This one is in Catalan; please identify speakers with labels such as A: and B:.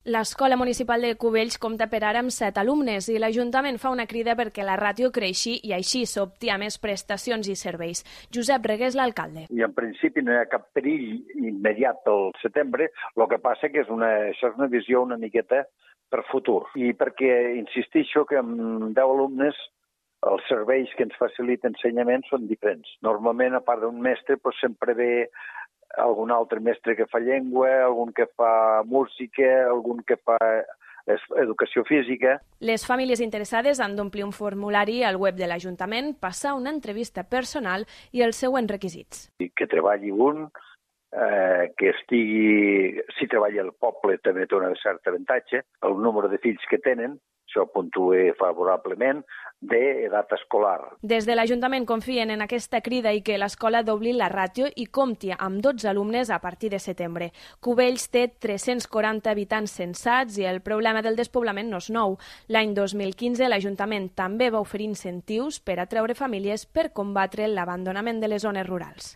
A: L'Escola Municipal de Cubells compta per ara amb 7 alumnes i l'Ajuntament fa una crida perquè la ràtio creixi i així s'opti a més prestacions i serveis. Josep Regués, l'alcalde.
B: I en principi no hi ha cap perill immediat pel setembre, el que passa que això és una visió una miqueta per futur. I perquè insistixo que amb 10 alumnes els serveis que ens facilita ensenyament són diferents. Normalment, a part d'un mestre, sempre ve algun altre mestre que fa llengua, algun que fa música, algun que fa educació física.
A: Les famílies interessades han d'omplir un formulari al web de l'Ajuntament, passar una entrevista personal i els següents requisits.
B: Que treballi un, que estigui... Si treballa al poble també té un cert avantatge, el número de fills que tenen, això puntua favorablement, d'edat escolar.
A: Des de l'Ajuntament confien en aquesta crida i que l'escola dobli la ràtio i compti amb 12 alumnes a partir de setembre. Cubells té 340 habitants censats i el problema del despoblament no és nou. L'any 2015 l'Ajuntament també va oferir incentius per atreure famílies per combatre l'abandonament de les zones rurals.